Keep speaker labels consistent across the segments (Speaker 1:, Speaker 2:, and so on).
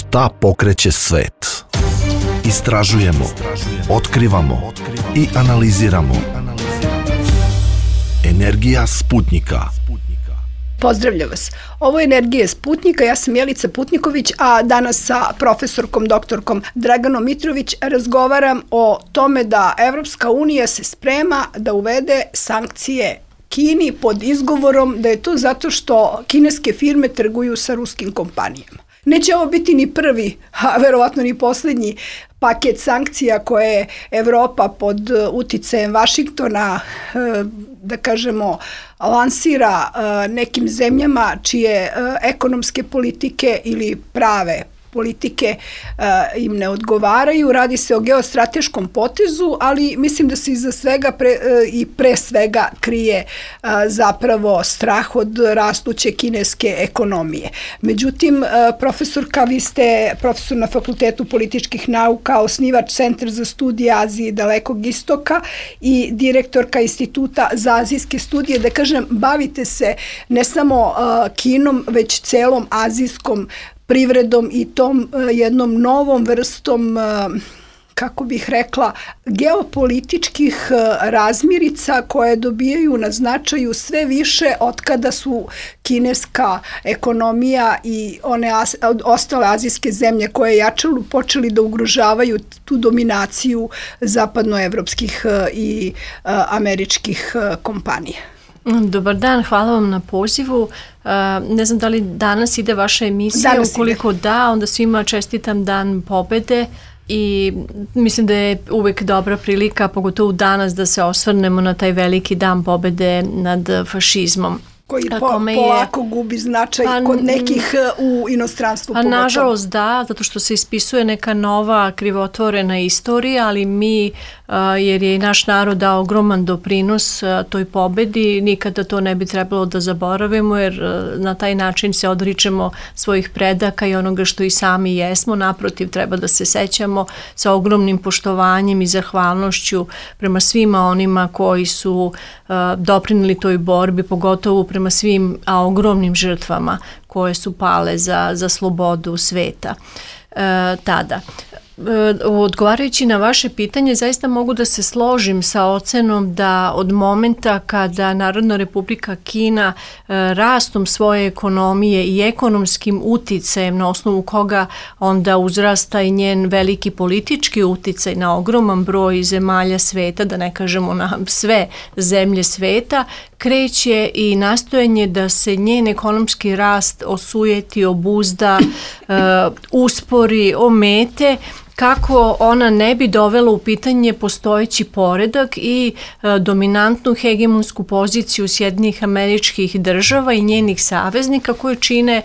Speaker 1: Šta pokreće svet? Istražujemo, otkrivamo i analiziramo. Energija Sputnjika.
Speaker 2: Pozdravljam vas. Ovo je Energija Sputnjika, ja sam Jelica Putniković, a danas sa profesorkom, doktorkom Draganom Mitrović razgovaram o tome da Evropska unija se sprema da uvede sankcije Kini pod izgovorom da je to zato što kineske firme trguju sa ruskim kompanijama. Neće ovo biti ni prvi, a verovatno ni poslednji paket sankcija koje Evropa pod uticajem Vašingtona, da kažemo, lansira nekim zemljama čije ekonomske politike ili prave politike im ne odgovaraju. Radi se o geostrateškom potezu, ali mislim da se iza svega pre svega krije zapravo strah od rastuće kineske ekonomije. Međutim, profesorka, vi ste profesor na Fakultetu političkih nauka, osnivač Centra za studije Azije i Dalekog istoka i direktorka Instituta za azijske studije. Da kažem, bavite se ne samo Kinom, već celom azijskom privredom i tom jednom novom vrstom, kako bih rekla, geopolitičkih razmirica koje dobijaju na značaju sve više od kada su kineska ekonomija i one ostale azijske zemlje koje jačaju počeli da ugrožavaju tu dominaciju zapadnoevropskih i američkih kompanija.
Speaker 3: Dobar dan, hvala vam na pozivu. Ne znam da li danas ide vaša emisija, ukoliko da, onda svima čestitam Dan pobede i mislim da je uvek dobra prilika, pogotovo danas, da se osvrnemo na taj veliki Dan pobede nad fašizmom.
Speaker 2: Koji polako gubi značaj kod nekih u inostranstvu.
Speaker 3: A nažalost da, zato što se ispisuje neka nova krivotvorena istorija, ali mi, jer je i naš narod dao ogroman doprinos toj pobedi, nikada to ne bi trebalo da zaboravimo, jer na taj način se odričemo svojih predaka i onoga što i sami jesmo. Naprotiv, treba da se sećamo sa ogromnim poštovanjem i zahvalnošću prema svima onima koji su doprineli toj borbi, pogotovo prema svim ogromnim žrtvama koje su pale za slobodu sveta tada. Odgovarajući na vaše pitanje, zaista mogu da se složim sa ocenom da od momenta kada Narodna Republika Kina rastom svoje ekonomije i ekonomskim uticajem, na osnovu koga onda uzrasta i njen veliki politički uticaj na ogroman broj zemalja sveta, da ne kažemo na sve zemlje sveta, kreće i nastojanje da se njen ekonomski rast osujeti, obuzda, uspori, omete, kako ona ne bi dovela u pitanje postojeći poredak i dominantnu hegemonsku poziciju Sjedinjenih Američkih Država i njenih saveznika koje čine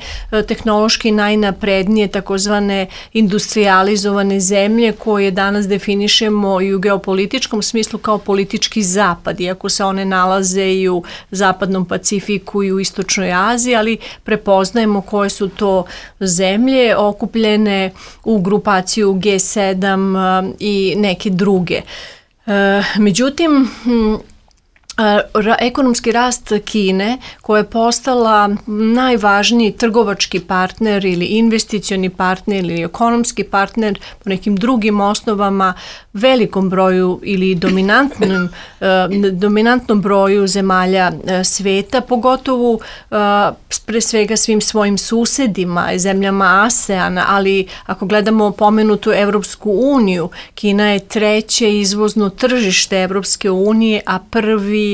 Speaker 3: tehnološki najnaprednije takozvane industrializovane zemlje koje danas definišemo i u geopolitičkom smislu kao politički zapad, iako se one nalaze i u Zapadnom Pacifiku i u Istočnoj Aziji, ali prepoznajemo koje su to zemlje okupljene u grupaciju G7 i neke druge. Međutim, ekonomski rast Kine, koja je postala najvažniji trgovački partner ili investicioni partner ili ekonomski partner po nekim drugim osnovama velikom broju ili dominantnom broju zemalja sveta, pogotovo pre svega svim svojim susedima, zemljama ASEAN-a, ali ako gledamo pomenutu Evropsku uniju, Kina je treće izvozno tržište Evropske unije, a prvi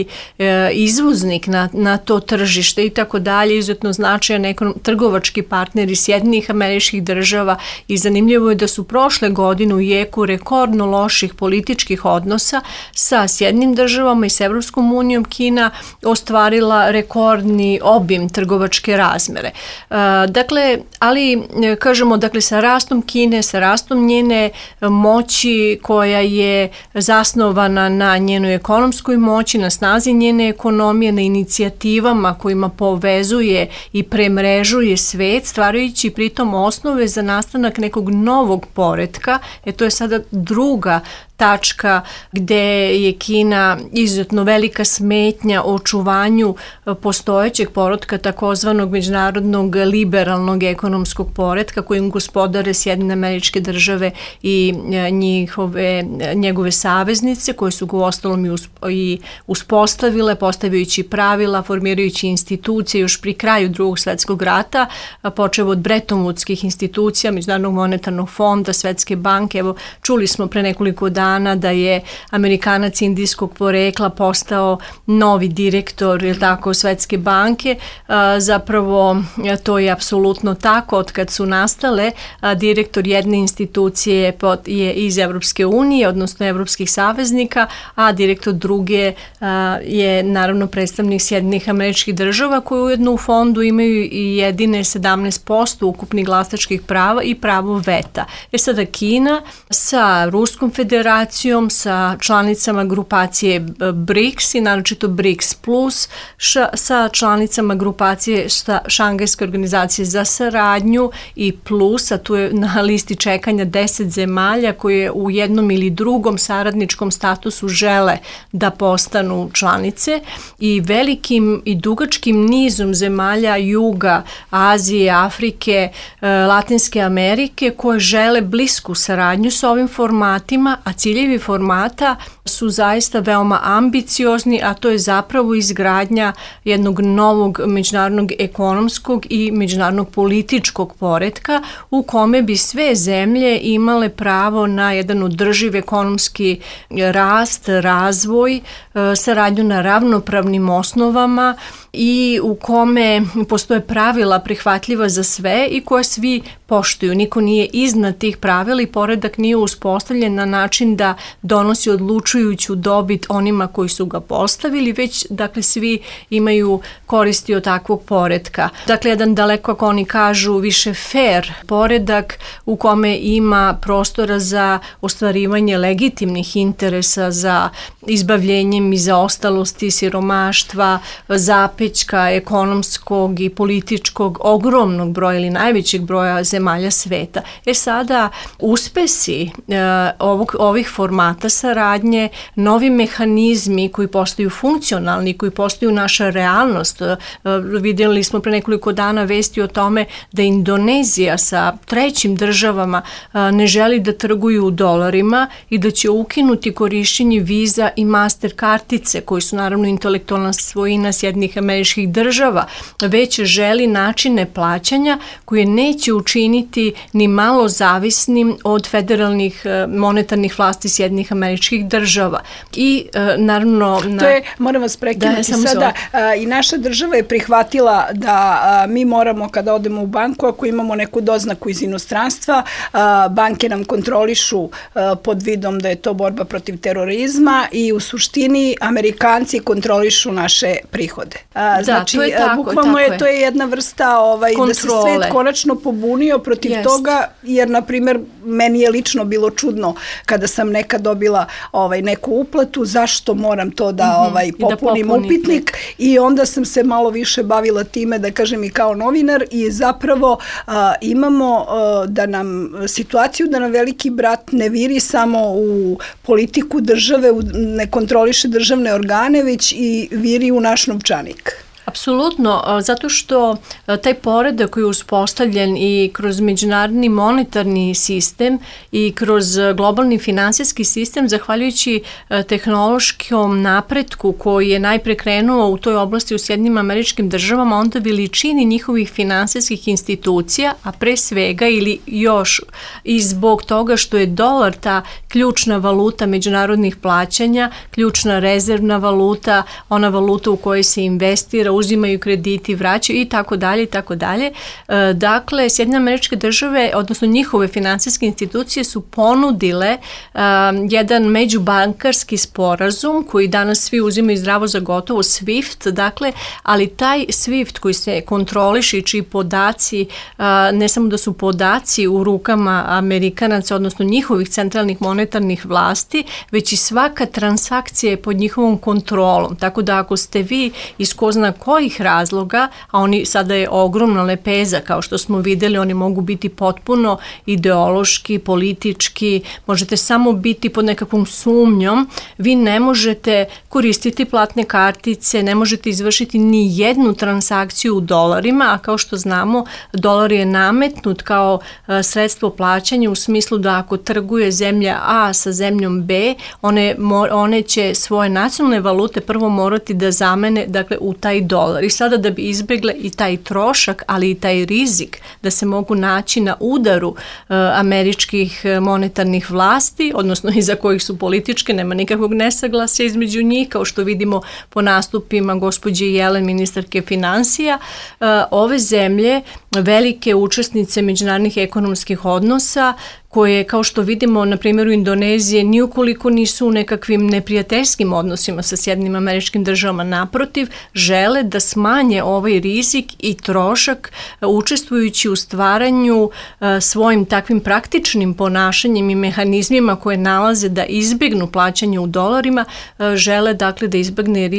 Speaker 3: izvoznik na to tržište i tako dalje, izuzetno značajan trgovački partner iz Sjedinjenih Američkih Država i zanimljivo je da su prošle godine u jeku rekordno loših političkih odnosa sa Sjedinjenim Državama i s Evropskom unijom Kina ostvarila rekordni obim trgovačke razmere. Dakle, ali kažemo, dakle, sa rastom Kine, sa rastom njene moći koja je zasnovana na njenoj ekonomskoj moći, na snazi njene ekonomije, na inicijativama kojima povezuje i premrežuje svet, stvarajući pritom osnove za nastanak nekog novog poretka. To je sada druga tačka gde je Kina izuzetno velika smetnja očuvanju postojećeg poretka, takozvanog međunarodnog liberalnog ekonomskog poretka kojim gospodare Sjedinjene Američke Države i njegove saveznice koje su ga uostalom i uspostavile, postavljajući pravila, formirajući institucije još pri kraju Drugog svjetskog rata, počev od Bretton-Woodskih institucija, Međunarodnog monetarnog fonda, Svetske banke. Evo, čuli smo pre nekoliko dana da je Amerikanac indijskog porekla postao novi direktor, ili tako, Svetske banke. Zapravo to je apsolutno tako. Od kad su nastale, direktor jedne institucije je iz Evropske unije, odnosno evropskih saveznika, a direktor druge je naravno predstavnik Sjedinjenih Američkih Država, koji ujedno u fondu imaju i jedine 17% ukupnih glasačkih prava i pravo veta. Sada Kina sa Ruskom federacijom, sa članicama grupacije BRICS i naročito BRICS plus, sa članicama grupacije Šangajske organizacije za saradnju i plus, a tu je na listi čekanja 10 zemalja koje u jednom ili drugom saradničkom statusu žele da postanu članice, i velikim i dugačkim nizom zemalja juga, Azije, Afrike, Latinske Amerike koje žele blisku saradnju sa ovim formatima, a ciljevi formata su zaista veoma ambiciozni, a to je zapravo izgradnja jednog novog međunarodnog ekonomskog i međunarodnog političkog poretka u kome bi sve zemlje imale pravo na jedan održiv ekonomski rast, razvoj, saradnju na ravnopravnim osnovama i u kome postoje pravila prihvatljiva za sve i koje svi poštuju. Niko nije iznad tih pravila i poredak nije uspostavljen na način da donosi odlučujuću dobit onima koji su ga postavili, već dakle svi imaju koristi od takvog poretka. Dakle, jedan daleko, ako oni kažu, više fair poredak u kome ima prostora za ostvarivanje legitimnih interesa, za izbavljenjem i zaostalosti, siromaštva, zapećka ekonomskog i političkog ogromnog broja ili najvećeg broja zemalja sveta. Sada uspesi ovih formata saradnje, novi mehanizmi koji postaju funkcionalni, koji postaju naša realnost. Vidjeli smo pre nekoliko dana vesti o tome da Indonezija sa trećim državama ne želi da trguju u dolarima i da će ukinuti korišćenje viza i master kartice, koji su naravno intelektualna svojina Sjedinjenih Američkih Država, već želi načine plaćanja koje neće učiniti ni malo zavisnim od federalnih monetarnih vlasti Sjedinjenih Američkih Država. I naravno...
Speaker 2: To je, moram vas prekinuti sada, i naša država je prihvatila da mi moramo kada odemo u banku, ako imamo neku doznaku iz inostranstva, banke nam kontrolišu pod vidom da je to borba protiv terorizma i u suštini Amerikanci kontrolišu naše prihode. Znači,
Speaker 3: to je tako,
Speaker 2: bukvalno to je jedna vrsta da se svet konačno pobunio protiv toga, jer, na primjer, meni je lično bilo čudno kada sam nekad dobila neku uplatu, zašto moram to da popunim upitnik, i onda sam se malo više bavila time, da kažem, i kao novinar, i zapravo imamo da nam situaciju da nam veliki brat ne viri samo u politiku države, ne kontroliše državne organe, već i viri u naš novčanik.
Speaker 3: Apsolutno, zato što taj poredak koji je uspostavljen i kroz međunarodni monetarni sistem i kroz globalni finansijski sistem, zahvaljujući tehnološkom napretku koji je najpre krenuo u toj oblasti u Sjedinjenim Američkim Državama, onda veličini njihovih finansijskih institucija, a pre svega ili još i zbog toga što je dolar ta ključna valuta međunarodnih plaćanja, ključna rezervna valuta, ona valuta u kojoj se investira, uzimaju krediti, vraćaju i tako dalje i tako dalje. Dakle, Sjedinjene Američke Države, odnosno njihove finansijske institucije su ponudile jedan međubankarski sporazum koji danas svi uzimaju zdravo za gotovo, SWIFT, dakle, ali taj SWIFT koji se kontroliše i čiji podaci, ne samo da su podaci u rukama Amerikanaca, odnosno njihovih centralnih monetarnih vlasti, već i svaka transakcija je pod njihovom kontrolom. Tako da ako ste vi iz ko zna kojih razloga, a oni sada je ogromna lepeza, kao što smo videli, oni mogu biti potpuno ideološki, politički, možete samo biti pod nekakvom sumnjom, vi ne možete koristiti platne kartice, ne možete izvršiti ni jednu transakciju u dolarima, a kao što znamo, dolar je nametnut kao sredstvo plaćanja u smislu da ako trguje zemlja A sa zemljom B, one će svoje nacionalne valute prvo morati da zamene, dakle, u taj dolar. I sada da bi izbegle i taj trošak, ali i taj rizik da se mogu naći na udaru američkih monetarnih vlasti, odnosno iza kojih su političke, nema nikakvog nesaglasja između njih, kao što vidimo po nastupima gospođe Jelen, ministarke finansija, ove zemlje, velike učesnice međunarodnih ekonomskih odnosa, koje, kao što vidimo na primjeru Indonezije, niukoliko nisu u nekakvim neprijateljskim odnosima sa Sjedinjenim Američkim Državama, naprotiv, žele da smanje ovaj rizik i trošak učestvujući u stvaranju svojim takvim praktičnim ponašanjem i mehanizmima koje nalaze da izbjegnu plaćanje u dolarima, žele dakle da izbjegne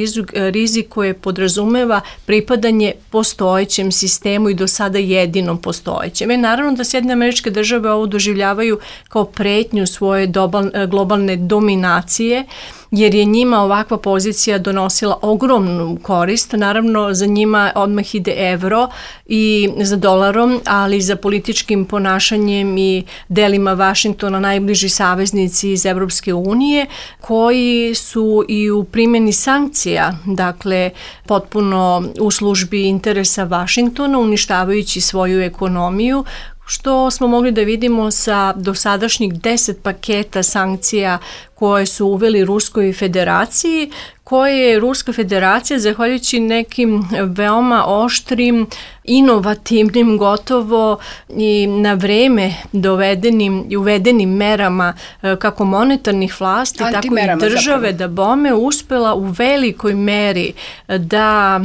Speaker 3: rizik koje podrazumeva pripadanje postojećem sistemu i do sada jedinom postojećem. Naravno da Sjedinjene Američke Države ovo doživljavaju kao pretnju svoje globalne dominacije, jer je njima ovakva pozicija donosila ogromnu korist. Naravno, za njima odmah ide evro i za dolarom, ali za političkim ponašanjem i delima Vašingtona najbliži saveznici iz Evropske unije, koji su i u primjeni sankcija, dakle, potpuno u službi interesa Vašingtona, uništavajući svoju ekonomiju, što smo mogli da vidimo sa dosadašnjih 10 paketa sankcija koje su uveli Ruskoj federaciji, koje je Ruska federacija, zahvaljujući nekim veoma oštrim, inovativnim, gotovo i na vreme dovedenim i uvedenim merama kako monetarnih vlasti, tako i države, da bome uspela u velikoj meri da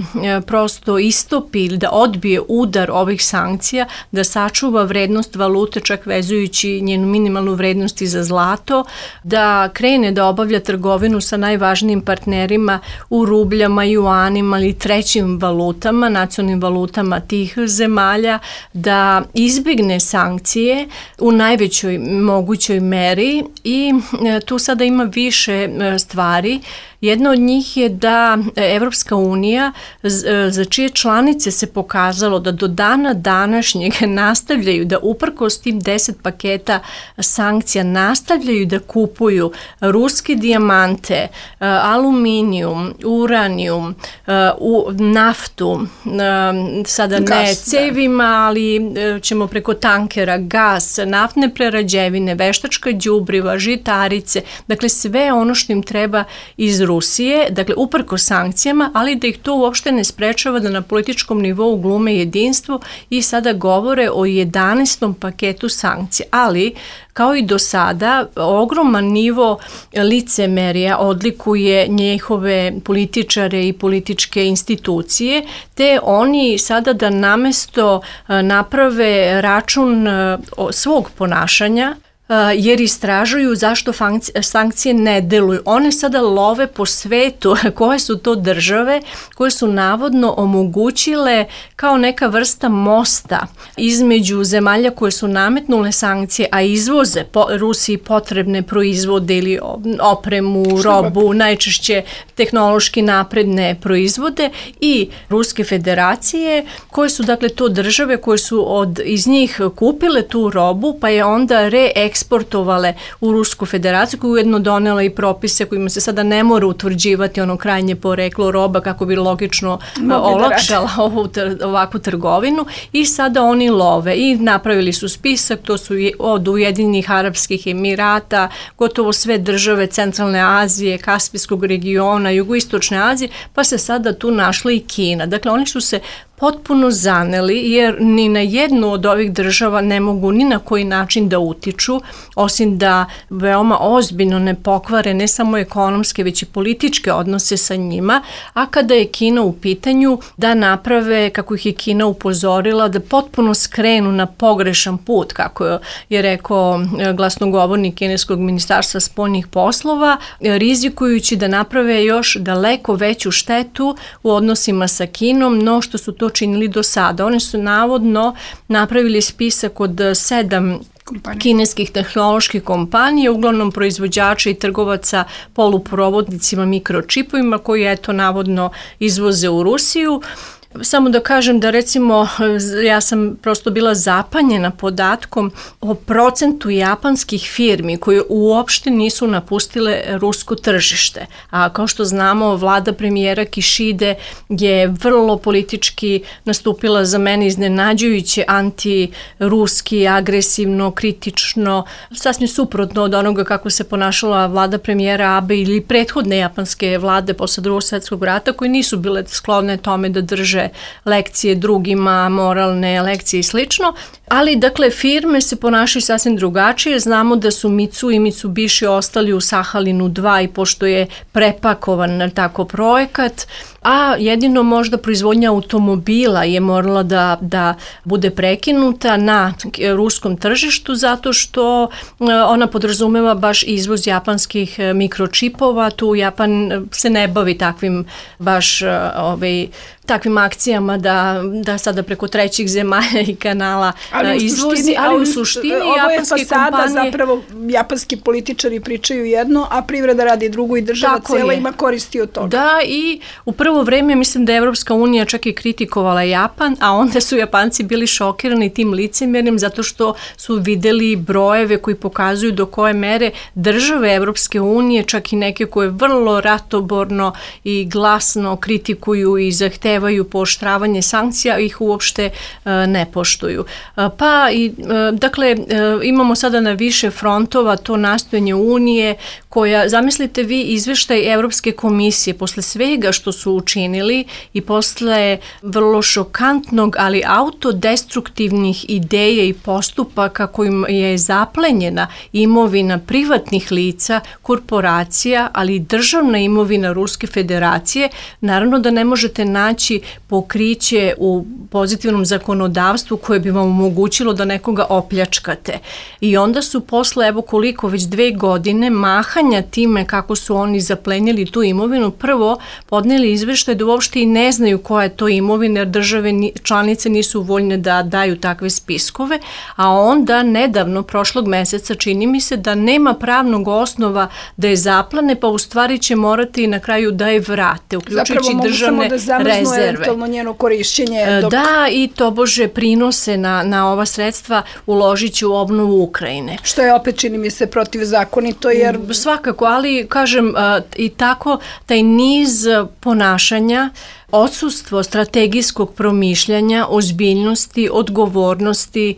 Speaker 3: prosto istopi ili da odbije udar ovih sankcija, da sačuva vrednost valute, čak vezujući njenu minimalnu vrednost i za zlato, da krene da obavlja trgovinu sa najvažnijim partnerima u rubljama, juanima ili trećim valutama, nacionalnim valutama tih zemalja, da izbjegne sankcije u najvećoj mogućoj meri i tu sada ima više stvari. Jedna od njih je da Evropska unija, za čije članice se pokazalo da do dana današnjeg nastavljaju da uprkos tim 10 paketa sankcija nastavljaju da kupuju ruske dijamante, aluminijum, uranijum, naftu, sada ne cevima, ali ćemo preko tankera, gas, naftne prerađevine, veštačka đubriva, žitarice, dakle sve ono što im treba iz Rusije, dakle uprkos sankcijama, ali da ih to uopšte ne sprečava da na političkom nivou glume jedinstvo i sada govore o 11. paketu sankcija. Ali, kao i do sada, ogroman nivo licemerja odlikuje njihove političare i političke institucije, te oni sada da namesto naprave račun svog ponašanja, jer istražuju zašto sankcije ne deluju. One sada love po svetu koje su to države koje su navodno omogućile kao neka vrsta mosta između zemalja koje su nametnule sankcije, a izvoze Rusiji potrebne proizvode ili opremu, robu, najčešće tehnološki napredne proizvode, i Ruske federacije, koje su dakle to države koje su iz njih kupile tu robu, pa je onda eksportovale u Rusku federaciju, koja je ujedno donela i propise kojima se sada ne mora utvrđivati ono krajnje poreklo roba kako bi logično olakšala ovakvu trgovinu, i sada oni love i napravili su spisak, to su od Ujedinjenih Arapskih Emirata, gotovo sve države Centralne Azije, Kaspijskog regiona, Jugoistočne Azije, pa se sada tu našla i Kina. Dakle, oni su se potpuno zaneli, jer ni na jednu od ovih država ne mogu ni na koji način da utiču, osim da veoma ozbiljno ne pokvare ne samo ekonomske, već i političke odnose sa njima, a kada je Kina u pitanju, da naprave, kako ih je Kina upozorila, da potpuno skrenu na pogrešan put, kako je rekao glasnogovornik kineskog ministarstva spoljnih poslova, rizikujući da naprave još daleko veću štetu u odnosima sa Kinom, no što su to činili do sada. Oni su navodno napravili spisak od 7 kineskih tehnoloških kompanija, uglavnom proizvođača i trgovaca poluprovodnicima, mikročipovima, koji eto navodno izvoze u Rusiju. Samo da kažem da recimo ja sam prosto bila zapanjena podatkom o procentu japanskih firmi koje uopšte nisu napustile rusko tržište. A kao što znamo, vlada premijera Kishide je vrlo politički nastupila za mene iznenađujuće antiruski, agresivno, kritično, sasvim suprotno od onoga kako se ponašala vlada premijera Abe ili prethodne japanske vlade posle Drugog svjetskog rata, koje nisu bile sklone tome da drže lekcije drugima, moralne lekcije i slično, ali dakle firme se ponašaju sasvim drugačije. Znamo da su Mitsu i Mitsubishi ostali u Sahalinu 2 i pošto je prepakovan tako projekat, a jedino možda proizvodnja automobila je morala da bude prekinuta na ruskom tržištu zato što ona podrazumeva baš izvoz japanskih mikročipova. Tu Japan se ne bavi takvim baš takvim akcijama da sada preko trećih zemalja i kanala izvozi, ali u suštini japanske kompanije...
Speaker 2: Zapravo japanski političari pričaju jedno, a privreda radi drugo i država cijela ima koristi od toga.
Speaker 3: Da, i u prvo vreme mislim da je Evropska unija čak i kritikovala Japan, a onda su Japanci bili šokirani tim licemernim zato što su videli brojeve koji pokazuju do koje mere države Evropske unije, čak i neke koje vrlo ratoborno i glasno kritikuju i zahtevaju pooštravanje sankcija, ih uopšte ne poštuju. Pa i dakle imamo sada na više frontova to nastojanje Unije koja, zamislite vi izveštaj Evropske komisije posle svega što su učinili i posle vrlo šokantnog, ali autodestruktivnih ideja i postupaka kojim je zaplenjena imovina privatnih lica, korporacija, ali i državna imovina Ruske federacije, naravno da ne možete naći pokriće u pozitivnom zakonodavstvu koje bi vam omogućilo da nekoga opljačkate. I onda su posle, evo koliko, već 2 godine mahanja time kako su oni zaplenili tu imovinu, prvo podneli izveštaj da uopšte i ne znaju koja je to imovina, jer države članice nisu voljne da daju takve spiskove, a onda nedavno, prošlog meseca, čini mi se da nema pravnog osnova da je zaplane, pa u stvari će morati na kraju da je vrate, uključujući državne rezerve.
Speaker 2: Zapravo mogu samo da zamrznu eventualno njeno korišćenje.
Speaker 3: Da, i tobože prinose na ova sredstva uložit će u obnovu Ukrajine.
Speaker 2: Što je opet, čini mi se, protivzakonito, jer...
Speaker 3: Svakako, ali kažem i tako taj niz ponašanja, odsustvo strategijskog promišljanja, ozbiljnosti, odgovornosti,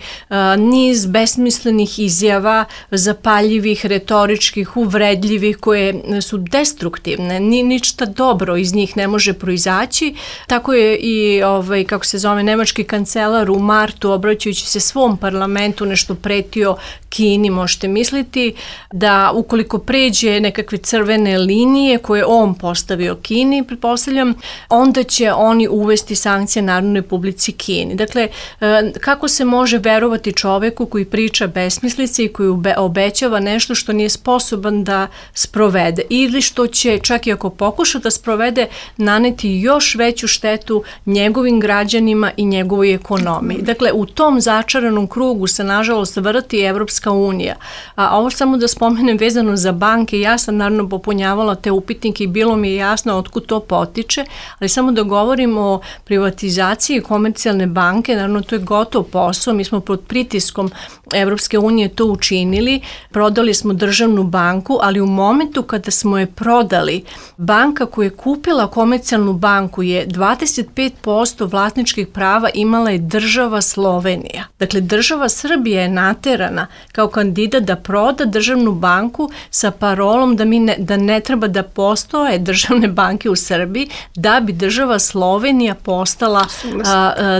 Speaker 3: niz besmislenih izjava, zapaljivih, retoričkih, uvredljivih, koje su destruktivne, ništa dobro iz njih ne može proizaći. Tako je i, kako se zove, nemački kancelar u martu, obraćajući se svom parlamentu, nešto pretio Kini, možete misliti da ukoliko pređe nekakve crvene linije koje on postavio Kini, pretpostavljam, onda će oni uvesti sankcije Narodnoj Republici Kini. Dakle, kako se može verovati čoveku koji priča besmislice i koji obećava nešto što nije sposoban da sprovede ili što će, čak i ako pokuša da sprovede, naneti još veću štetu njegovim građanima i njegovoj ekonomiji. Dakle, u tom začaranom krugu se nažalost vrti Evropska unija. A ovo samo da spomenem vezano za banke, ja sam naravno popunjavala te upitnike i bilo mi je jasno otkud to potiče, ali samo da govorim o privatizaciji komercijalne banke, naravno to je gotov posao, mi smo pod pritiskom Evropske unije to učinili, prodali smo državnu banku, ali u momentu kada smo je prodali, banka koja je kupila komercijalnu banku je 25% vlasničkih prava imala je država Slovenija. Dakle, država Srbija je naterana, kao kandidat da proda državnu banku sa parolom da ne treba da postoje državne banke u Srbiji da bi država Slovenija postala,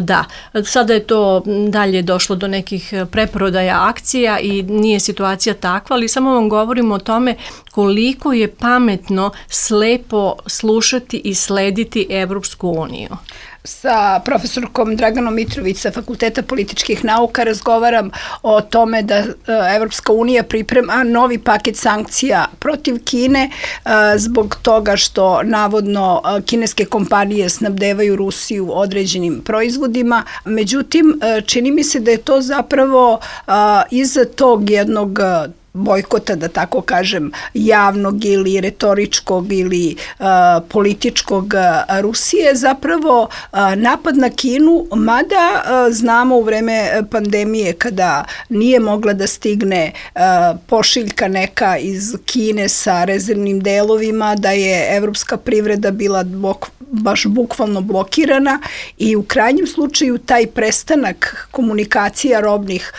Speaker 3: da, sada je to dalje došlo do nekih preprodaja akcija i nije situacija takva, ali samo vam govorimo o tome koliko je pametno slepo slušati i slediti Evropsku uniju.
Speaker 2: Sa profesorkom Draganom Mitrović sa Fakulteta političkih nauka razgovaram o tome da Evropska unija priprema novi paket sankcija protiv Kine zbog toga što navodno kineske kompanije snabdevaju Rusiju određenim proizvodima. Međutim, čini mi se da je to zapravo iza tog jednog bojkota, da tako kažem, javnog ili retoričkog ili političkog Rusije, zapravo napad na Kinu, mada znamo u vreme pandemije kada nije mogla da stigne pošiljka neka iz Kine sa rezervnim delovima, da je evropska privreda bila baš bukvalno blokirana i u krajnjem slučaju taj prestanak komunikacija robnih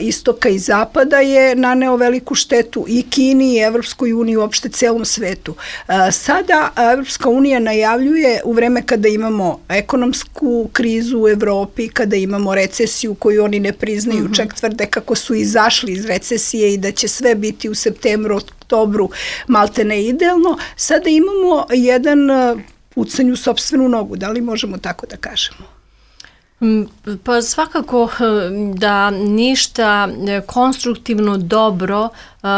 Speaker 2: istoka i zapada je naneo veliku štetu i Kini i Evropskoj uniji, uopšte celom svetu. Sada Evropska unija najavljuje u vreme kada imamo ekonomsku krizu u Evropi, kada imamo recesiju koju oni ne priznaju, čak tvrde kako su izašli iz recesije i da će sve biti u septembru, oktobru maltene idealno, sada imamo jedan pucanj u sopstvenu nogu, da li možemo tako da kažemo?
Speaker 3: Pa svakako da ništa konstruktivno dobro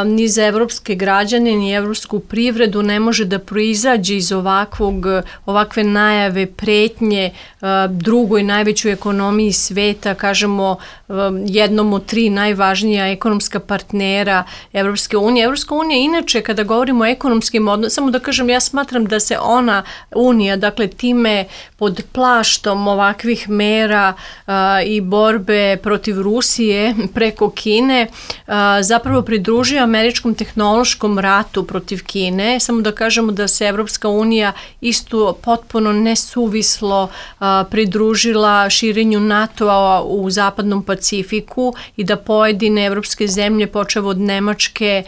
Speaker 3: ni za evropske građane, ni evropsku privredu ne može da proizađe iz ovakve najave pretnje drugoj najvećoj ekonomiji sveta, kažemo jednom od 3 najvažnija ekonomska partnera Evropske unije. Evropska unija inače, kada govorimo o ekonomskim odnosima, samo da kažem, ja smatram da se ona unija, dakle time pod plaštom ovakvih mera i borbe protiv Rusije preko Kine zapravo pridružuje američkom tehnološkom ratu protiv Kine. Samo da kažemo da se Evropska unija isto potpuno nesuvislo pridružila širenju NATO-a u zapadnom Pacifiku i da pojedine evropske zemlje, počev od Nemačke,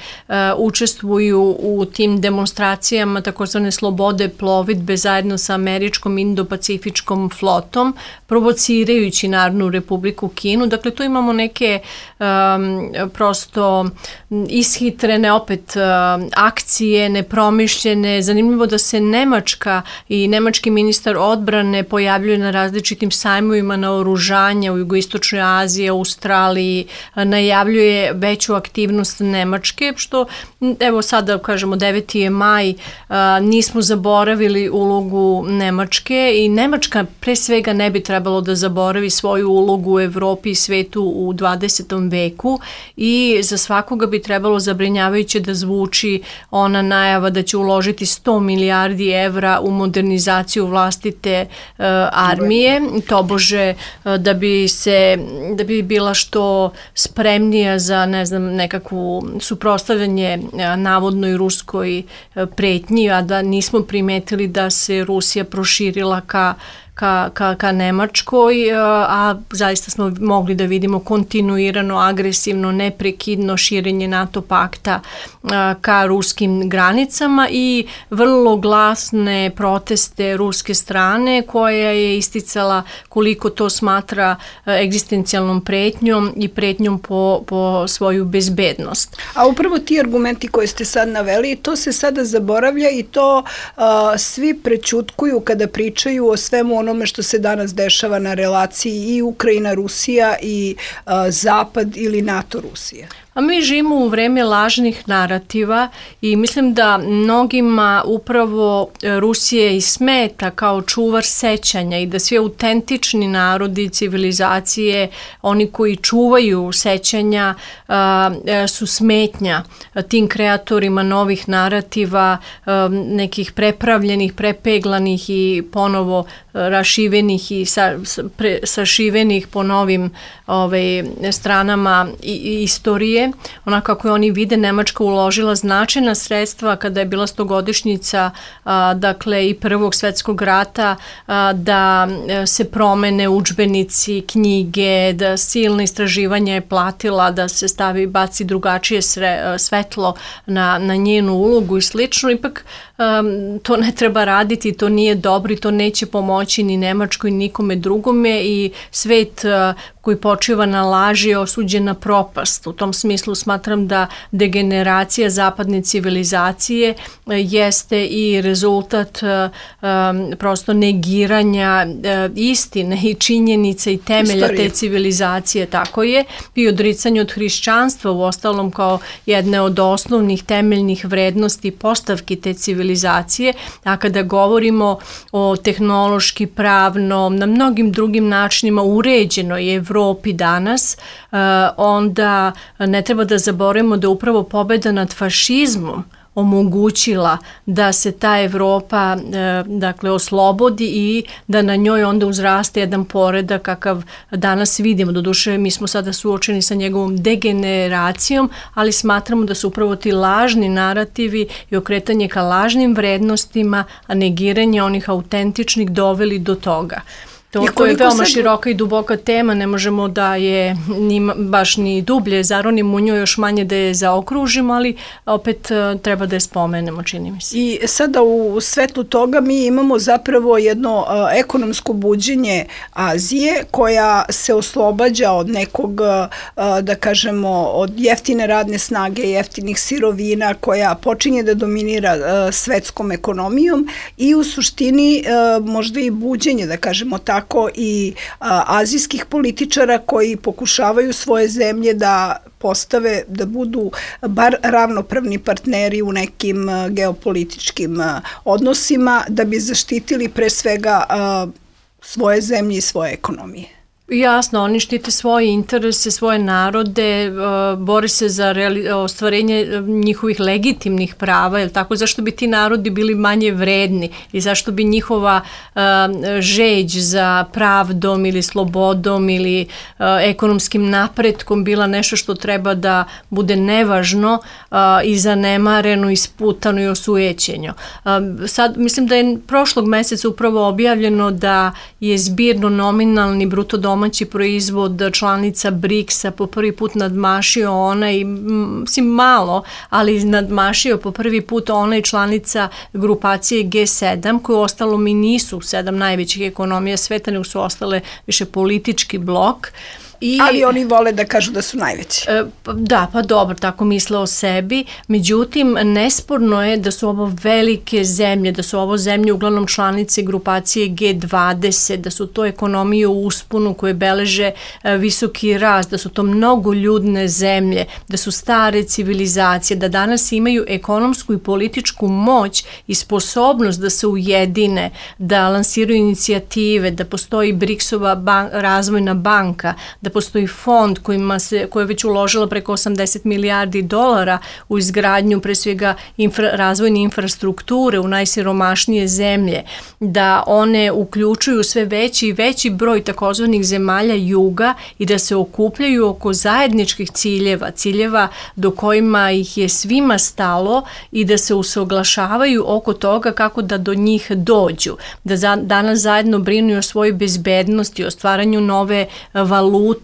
Speaker 3: učestvuju u tim demonstracijama takozvane slobode plovidbe zajedno sa američkom indo-pacifičkom flotom, provocirajući Narodnu Republiku Kinu. Dakle, tu imamo neke prosto ishitrene opet akcije, nepromišljene. Zanimljivo da se Nemačka i nemački ministar odbrane pojavljuje na različitim sajmovima naoružanja u jugoistočnoj Aziji, Australiji, najavljuje veću aktivnost Nemačke, što evo sada kažemo 9. je maj, nismo zaboravili ulogu Nemačke i Nemačka pre svega ne bi trebalo da zaboravi svoju ulogu u Evropi i svetu u 20. veku i za svakoga bi trebalo zabrinjavajuće da zvuči ona najava da će uložiti 100 milijardi evra u modernizaciju vlastite armije, tobože da bi bila što spremnija za, ne znam, nekakvu suprotstavljanje navodnoj ruskoj pretnji, a da nismo primetili da se Rusija proširila ka Nemačkoj, a zaista smo mogli da vidimo kontinuirano, agresivno, neprekidno širenje NATO pakta ka ruskim granicama i vrlo glasne proteste ruske strane koja je isticala koliko to smatra egzistencijalnom pretnjom i pretnjom po svoju bezbednost.
Speaker 2: A upravo ti argumenti koje ste sad naveli, to se sada zaboravlja i to svi prećutkuju kada pričaju o svemu onome što se danas dešava na relaciji i Ukrajina-Rusija i Zapad ili NATO-Rusija.
Speaker 3: A mi živimo u vreme lažnih narativa i mislim da mnogima upravo Rusije i smeta kao čuvar sećanja i da svi autentični narodi, civilizacije, oni koji čuvaju sećanja su smetnja tim kreatorima novih narativa, nekih prepravljenih, prepeglanih i ponovo rašivenih i sašivenih po novim stranama istorije. dalje. Onako kako oni vide, Nemačka uložila značajna sredstva kada je bila 100-godišnjica dakle i Prvog svetskog rata, da se promene udžbenici, knjige, da silna istraživanja je platila, da se baci drugačije svetlo na njenu ulogu i slično. Ipak to ne treba raditi, to nije dobro i to neće pomoći ni Nemačkoj ni nikome drugome i svet koji počiva na laži je osuđen na propast. U tom smislu smatram da degeneracija zapadne civilizacije jeste i rezultat prosto negiranja istine i činjenica i temelja te civilizacije, tako je, i odricanje od hrišćanstva, u ostalom kao jedne od osnovnih temeljnih vrednosti postavki te civilizacije, a kada govorimo o tehnološki, pravno, na mnogim drugim načinima uređenoj Evropi danas, onda ne treba da zaboravimo da upravo pobeda nad fašizmom omogućila da se ta Evropa dakle oslobodi i da na njoj onda uzraste jedan poredak kakav danas vidimo. Doduše, mi smo sada suočeni sa njegovom degeneracijom, ali smatramo da su upravo ti lažni narativi i okretanje ka lažnim vrednostima, a negiranje onih autentičnih doveli do toga. To je veoma široka i duboka tema, ne možemo da je baš ni dublje zaronimo u njoj, još manje da je zaokružimo, ali opet treba da je spomenemo, čini mi se. I
Speaker 2: sada u svetlu toga mi imamo zapravo jedno ekonomsko buđenje Azije koja se oslobađa od nekog, da kažemo, od jeftine radne snage, jeftinih sirovina, koja počinje da dominira svetskom ekonomijom i u suštini možda i buđenje, da kažemo tako, i azijskih političara koji pokušavaju svoje zemlje da postave, da budu bar ravnopravni partneri u nekim geopolitičkim odnosima, da bi zaštitili pre svega svoje zemlje i svoje ekonomije.
Speaker 3: Jasno, oni štite svoje interese, svoje narode, bore se za ostvarenje njihovih legitimnih prava, jel tako? Zašto bi ti narodi bili manje vredni i zašto bi njihova žeđ za pravdom ili slobodom ili ekonomskim napretkom bila nešto što treba da bude nevažno i zanemareno, isputano i osujećeno. Sad, mislim da je prošlog meseca upravo objavljeno da je zbirno nominalni bruto domaći proizvod članica BRICS-a po prvi put nadmašio onaj, mislim malo, ali nadmašio po prvi put onaj članica grupacije G7, koje ostalom i nisu 7 najvećih ekonomija sveta, nego su ostale više politički blok.
Speaker 2: Ali oni vole da kažu da su najveći.
Speaker 3: Da, pa dobro, tako misle o sebi. Međutim, nesporno je da su ovo velike zemlje, da su ovo zemlje uglavnom članice grupacije G20, da su to ekonomije u usponu koje beleže visoki rast, da su to mnogoljudne zemlje, da su stare civilizacije, da danas imaju ekonomsku i političku moć i sposobnost da se ujedine, da lansiraju inicijative, da postoji BRICS-ova razvojna banka, da postoji fond koja je već uložila preko 80 milijardi dolara u izgradnju pre svega razvojne infrastrukture u najsiromašnije zemlje, da one uključuju sve veći i veći broj takozvanih zemalja juga i da se okupljaju oko zajedničkih ciljeva do kojima ih je svima stalo i da se usaglašavaju oko toga kako da do njih dođu, da danas zajedno brinu o svojoj bezbednosti, o stvaranju nove valute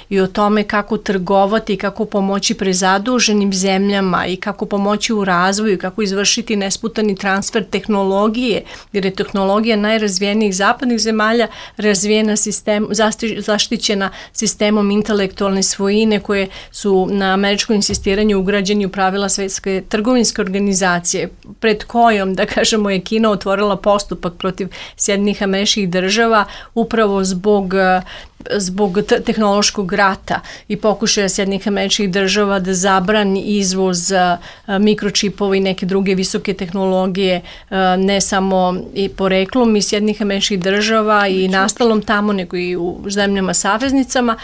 Speaker 3: i o tome kako trgovati i kako pomoći prezaduženim zemljama i kako pomoći u razvoju, kako izvršiti nesputani transfer tehnologije, jer je tehnologija najrazvijenijih zapadnih zemalja razvijena zaštićena sistemom intelektualne svojine koje su na američko insistiranje ugrađeni u pravila Svetske trgovinske organizacije, pred kojom, da kažemo, je Kina otvorila postupak protiv Sjedinjenih Američkih Država upravo zbog tehnološkog rata i pokušaja Sjedinjenih Američkih Država da zabrani izvoz mikročipova i neke druge visoke tehnologije, ne samo i poreklom iz Sjedinjenih Američkih Država i nastalom tamo, nego i u zemljama saveznicama.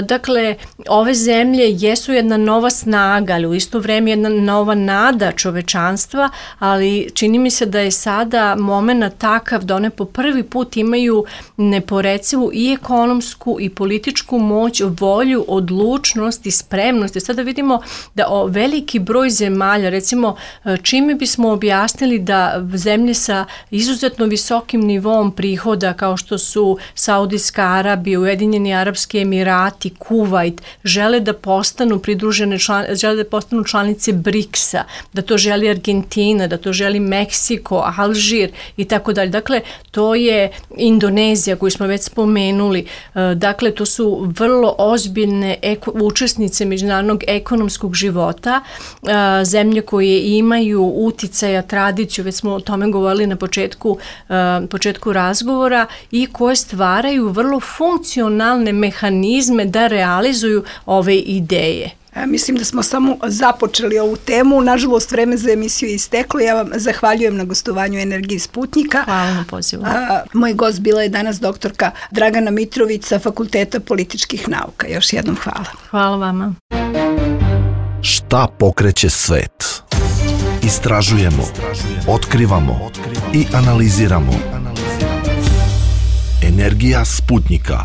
Speaker 3: Dakle, ove zemlje jesu jedna nova snaga, ali u isto vreme jedna nova nada čovečanstva, ali čini mi se da je sada moment takav da one po prvi put imaju neporecivu i ekonomsku ekonomsku i političku moć, volju, odlučnost i spremnost. Sada vidimo da veliki broj zemalja, recimo čime bismo objasnili da zemlje sa izuzetno visokim nivom prihoda kao što su Saudijska Arabija, Ujedinjeni Arapski Emirati, Kuvajt, žele da postanu članice BRICS-a, da to želi Argentina, da to želi Meksiko, Alžir i tako dalje. Dakle, to je Indonezija koju smo već spomenuli. Dakle, to su vrlo ozbiljne učesnice međunarodnog ekonomskog života, zemlje koje imaju uticaja, tradiciju, već smo o tome govorili na početku razgovora, i koje stvaraju vrlo funkcionalne mehanizme da realizuju ove ideje.
Speaker 2: Mislim da smo samo započeli ovu temu. Nažalost, vreme za emisiju je isteklo. Ja vam zahvaljujem na gostovanju Energije Sputnika.
Speaker 3: Hvala na pozivu.
Speaker 2: Moj gost bila je danas doktorka Dragana Mitrović sa Fakulteta političkih nauka. Još jednom hvala.
Speaker 3: Hvala vama.
Speaker 1: Šta pokreće svet? Istražujemo, otkrivamo i analiziramo. Energija Sputnika.